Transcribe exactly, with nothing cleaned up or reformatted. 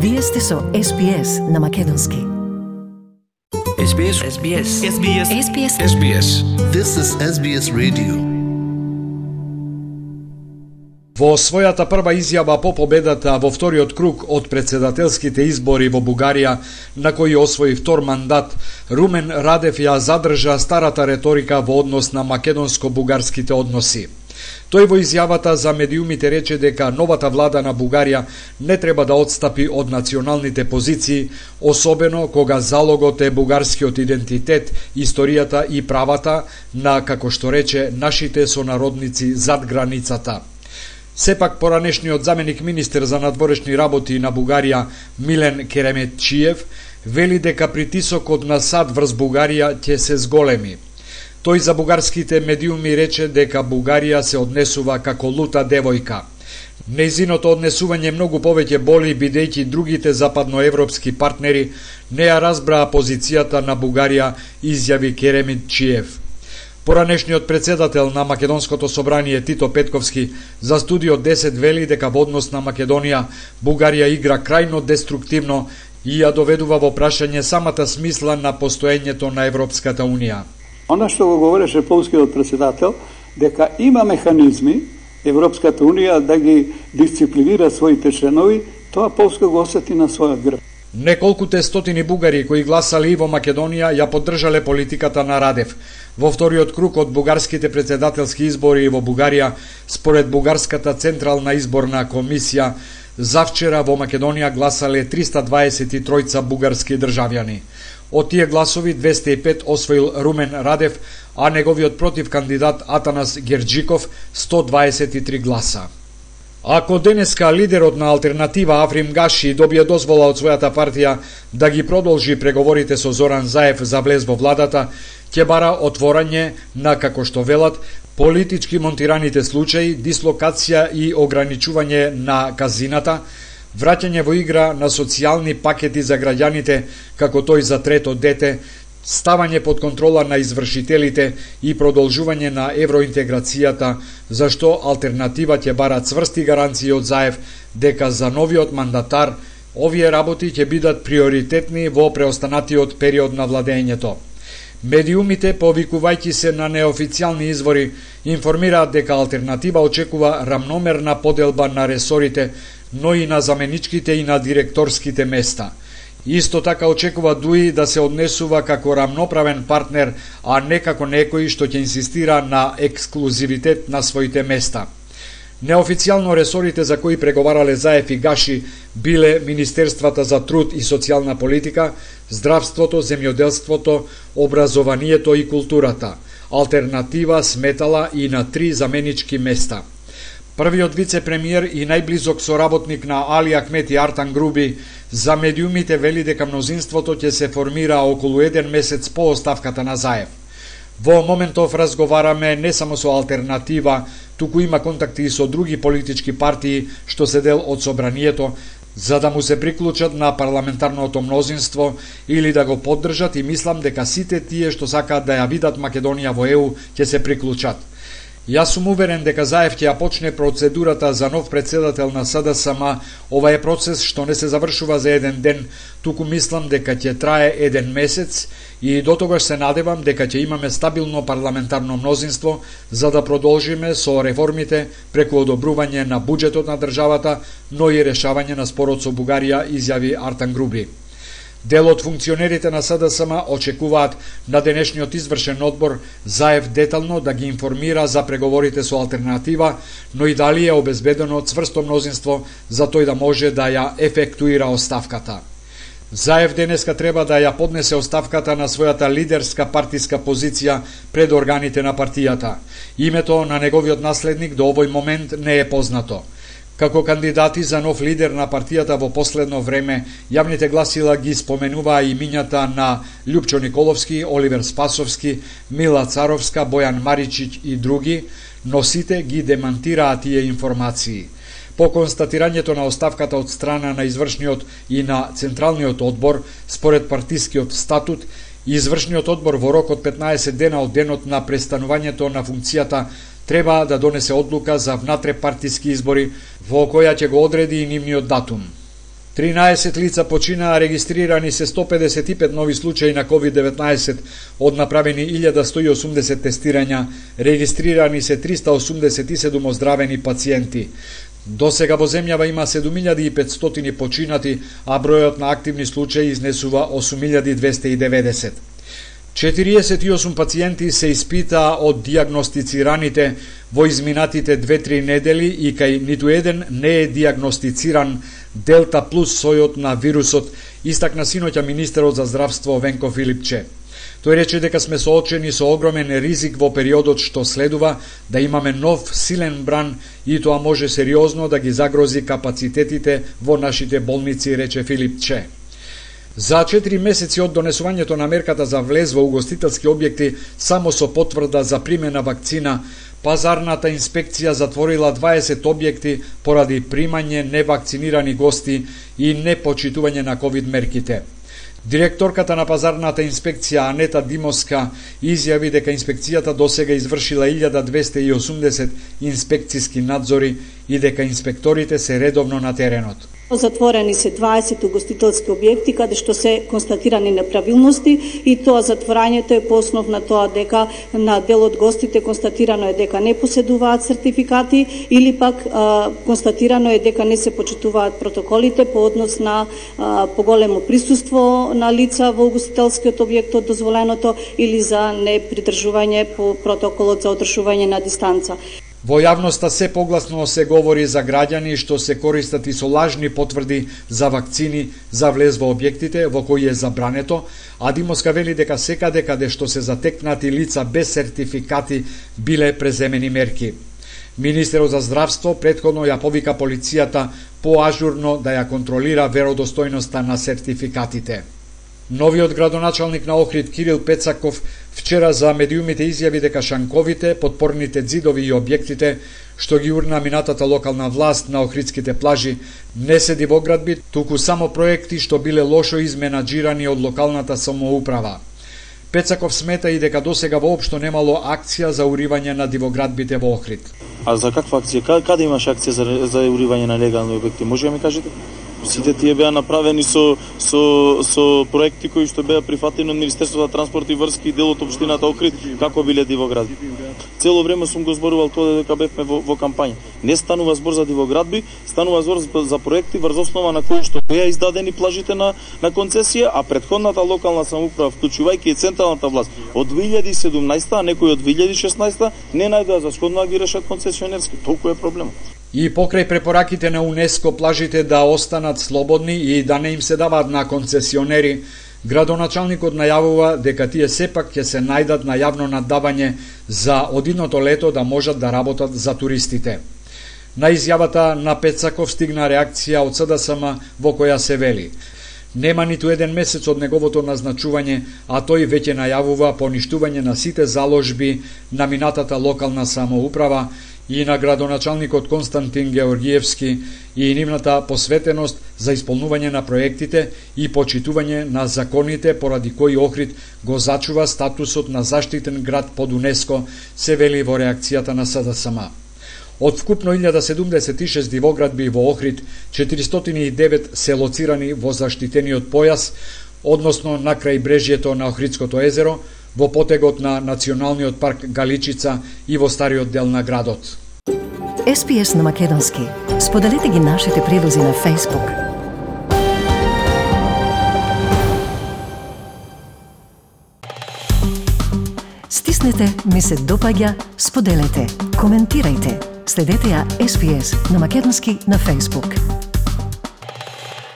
Вие сте со Ес Би Ес на македонски. Ес Би Ес. Ес Би Ес. Ес Би Ес. Ес Би Ес. Ес Би Ес. This is Ес Би Ес Radio. Во својата прва изјава по победата во вториот круг од председателските избори во Бугарија, на кој освои втор мандат, Румен Радев ја задржа старата реторика во однос на македонско-бугарските односи. Тој во изјавата за медиумите рече дека новата влада на Бугарија не треба да отстапи од националните позиции, особено кога залогот е бугарскиот идентитет, историјата и правата на, како што рече, нашите сонародници зад границата. Сепак, поранешниот заменик министер за надворешни работи на Бугарија Милен Кереметчиев вели дека притисокот на САД врз Бугарија ќе се зголеми. Тој за бугарските медиуми рече дека Бугарија се однесува како лута девојка. Нејзиното однесување многу повеќе боли, бидејќи другите западноевропски партнери не ја разбраа позицијата на Бугарија, изјави Кереметчиев. Поранешниот председател на Македонското собрание Тито Петковски за Студио десет вели дека во однос на Македонија Бугарија игра крајно деструктивно и ја доведува во прашање самата смисла на постоењето на Европската Унија. Она што го говореше полскиот председател, дека има механизми Европската Унија да ги дисциплинира своите членови, тоа Полска го осети на својот грб. Неколкуте стотини бугари кои гласали и во Македонија ја поддржале политиката на Радев. Во вториот круг од бугарските председателски избори во Бугарија, според Бугарската централна изборна комисија, завчера во Македонија гласале триста дваесет и три бугарски државјани. Од тие гласови двесте и пет освоил Румен Радев, а неговиот против кандидат Атанас Герџиков сто дваесет и три гласа. Ако денеска лидерот на алтернатива Африм Гаши добие дозвола од својата партија да ги продолжи преговорите со Зоран Заев за влез во владата, ќе бара отворање на, како што велат, политички монтираните случаи, дислокација и ограничување на казината, враќање во игра на социјални пакети за граѓаните, како тој за трето дете, ставање под контрола на извршителите и продолжување на евроинтеграцијата, зашто алтернатива ќе бара цврсти гаранции од Заев дека за новиот мандатар овие работи ќе бидат приоритетни во преостанатиот период на владењето. Медиумите, повикувајќи се на неофицијални извори, информираат дека алтернатива очекува рамномерна поделба на ресорите, но и на заменичките и на директорските места. Исто така очекува ДУИ да се однесува како рамноправен партнер, а не како некој што ќе инсистира на ексклузивитет на своите места. Неофицијално ресорите за кои преговарале Заев и Гаши биле Министерствата за труд и социјална политика, здравството, земјоделството, образованието и културата. Алтернатива сметала и на три заменички места. Првиот вице-премиер и најблизок соработник на Али Ахмети Артан Груби за медиумите вели дека мнозинството ќе се формира околу еден месец по оставката на Заев. Во моментов разговараме не само со алтернатива, туку има контакти и со други политички партии што се дел од собранието, за да му се приклучат на парламентарното мнозинство или да го поддржат, и мислам дека сите тие што сакаат да ја видат Македонија во Е У ќе се приклучат. Јас сум уверен дека Заев ќе ја почне процедурата за нов председател на С Д С М. Ова е процес што не се завршува за еден ден, туку мислам дека ќе трае еден месец и до тогаш се надевам дека ќе имаме стабилно парламентарно мнозинство за да продолжиме со реформите преку одобрување на буџетот на државата, но и решавање на спорот со Бугарија, изјави Артан Груби. Дел од функционерите на С Д С М очекуваат на денешниот извршен одбор Заев детално да ги информира за преговорите со алтернатива, но и дали е обезбедено цврсто мнозинство за тој да може да ја ефектуира оставката. Заев денеска треба да ја поднесе оставката на својата лидерска партиска позиција пред органите на партијата. Името на неговиот наследник до овој момент не е познато. Како кандидати за нов лидер на партијата во последно време, јавните гласила ги споменуваа имињата на Љупчо Николовски, Оливер Спасовски, Мила Царовска, Бојан Маричиќ и други, но сите ги демантираа тие информации. По констатирањето на оставката од страна на извршниот и на Централниот одбор, според партискиот статут, извршниот одбор во рок од петнаесет дена од денот на престанувањето на функцијата треба да донесе одлука за внатре партиски избори во која ќе го одреди и нивниот датум. тринаесет лица починаа, регистрирани се сто педесет и пет нови случаи на ковид деветнаесет, од направени илјада сто и осумдесет тестирања, регистрирани се триста осумдесет и седум оздравени пациенти. До сега во земјава има седум илјади и петстотини починати, а бројот на активни случаи изнесува осум илјади двесте и деветдесет. четириесет и осум пациенти се испитаа од дијагностицираните во изминатите две-три недели и кај ниту еден не е дијагностициран Делта плюс сојот на вирусот, истакна синоќа министерот за здравство Венко Филипче. Тој рече дека сме соочени со огромен ризик во периодот што следува, да имаме нов силен бран и тоа може сериозно да ги загрози капацитетите во нашите болници, рече Филипче. За четири месеци од донесувањето на мерката за влез во угостителски објекти само со потврда за примена вакцина, пазарната инспекција затворила дваесет објекти поради примање невакцинирани гости и непочитување на ковид мерките. Директорката на пазарната инспекција Анета Димовска изјави дека инспекцијата досега извршила илјада двесте и осумдесет инспекциски надзори и дека инспекторите се редовно на теренот. Затворени се дваесет угостителски објекти каде што се констатирани неправилности и тоа затворањето е по основ на тоа дека на дел од гостите констатирано е дека не поседуваат сертификати или пак а, констатирано е дека не се почитуваат протоколите по однос на а, поголемо присуство на лица во угостителскиот објект од дозволеното или за непридржување по протоколот за одржување на дистанца. Во јавноста се погласно се говори за граѓани што се користат и со лажни потврди за вакцини за влез во објектите во кои е забрането, а Димовска вели дека секаде каде што се затекнати лица без сертификати биле преземени мерки. Министерот за здравство претходно ја повика полицијата поажурно да ја контролира веродостојноста на сертификатите. Новиот градоначалник на Охрид Кирил Пецаков вчера за медиумите изјави дека шанковите, подпорните ѕидови и објектите што ги урна минатата локална власт на охридските плажи не се дивоградби, туку само проекти што биле лошо изменаџирани од локалната самоуправа. Пецаков смета и дека досега воопшто немало акција за уривање на дивоградбите во Охрид. А за каква акција? Каде имаш акција за, за уривање на легални објекти? Може да ми кажете? Сите тие беа направени со, со, со проекти кои што беа прифатени од Министерството за транспорт и врски и дел од општината Охрид, како биле дивоградби. Цело време сум го зборувал тоа дека бевме во, во кампања. Не станува збор за дивоградби, станува збор за проекти врз основа на кои што беа издадени плажите на, на концесија, а претходната локална самоуправа, вклучувајќи и централната власт, од две илјади и седумнаесета, а некои од две илјади и шеснаесета, не најдоа за сходно да ги решат концесионерски. Толку е проблемот. И покрај препораките на УНЕСКО плажите да останат слободни и да не им се даваат на концесионери, градоначалникот најавува дека тие сепак ќе се најдат на јавно наддавање за одидното лето да можат да работат за туристите. На изјавата на Пецаков стигна реакција од СДСМ во која се вели: нема ниту еден месец од неговото назначување, а тој веќе најавува поништување на сите заложби на минатата локална самоуправа и на градоначалникот Константин Георгиевски и нивната посветеност за исполнување на проектите и почитување на законите поради кои Охрид го зачува статусот на заштитен град под УНЕСКО, се вели во реакцијата на СДСМ. Од вкупно илјада седумдесет и шест дивоградби во Охрид, четиристотини и девет се лоцирани во заштитениот појас, односно на крајбрежјето на Охридското езеро, во потегот на Националниот парк Галичица и во стариот дел на градот. Ес Би Ес на македонски. Споделете ги нашите прилози на Facebook. Стиснете ми се допаѓа, споделете, коментирајте. Следете ја Ес Би Ес на македонски на Facebook.